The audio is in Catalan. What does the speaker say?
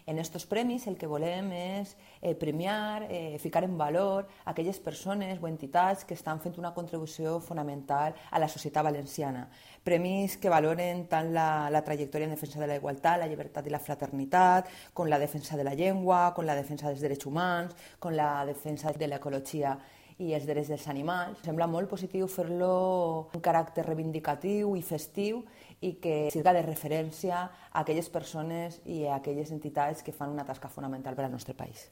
En estos premis el que volem és premiar, ficar en valor aquelles persones o entitats que estan fent una contribució fonamental a la societat valenciana. Premis que valoren tant la trajectòria en defensa de la igualtat, la llibertat i la fraternitat, com la defensa de la llengua, com la defensa dels drets humans, com la defensa de l'ecologia i els drets dels animals. Sembla molt positiu fer-lo un caràcter reivindicatiu i festiu i que sirva de referència a aquelles persones i a aquelles entitats que fan una tasca fonamental per al nostre país.